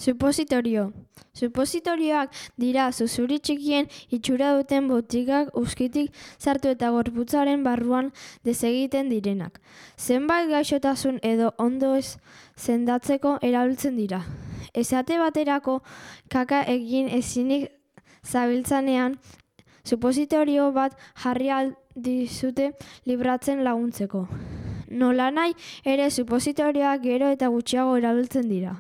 Supositorio. Supositorioak dira zuzuri txikien itxura duten botikak uzkitik sartu eta gorputzaren barruan desegiten direnak. Zenbait gaixotasun edo ondo ez sendatzeko erabiltzen dira. Esate baterako kaka egin ezinik zabiltzanean, supositorio bat jarri ahal dizute libratzen laguntzeko. Nolanahi ere supositorioak gero eta gutxiago erabiltzen dira.